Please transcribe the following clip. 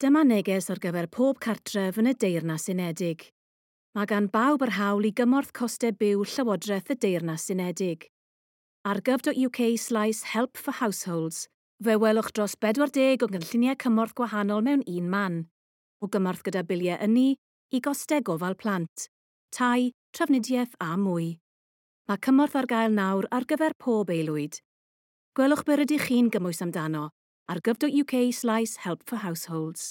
Dyma neges ar gyfer pob cartref yn y Deyrnas Unedig. Mae gan bawb yr hawl i gymorth costau byw Llywodraeth y Deyrnas Unedig. Ar gov.uk/help for households, fe welwch dros 40 o gynlluniau cymorth gwahanol mewn un man, o gymorth gyda biliau ynni i gostau gofal plant, tai, trafnidiaeth a mwy. Mae cymorth ar gael nawr ar gyfer pob aelwyd. Gwelwch be rydych chi'n gymwys amdano ar gov.uk/help for households.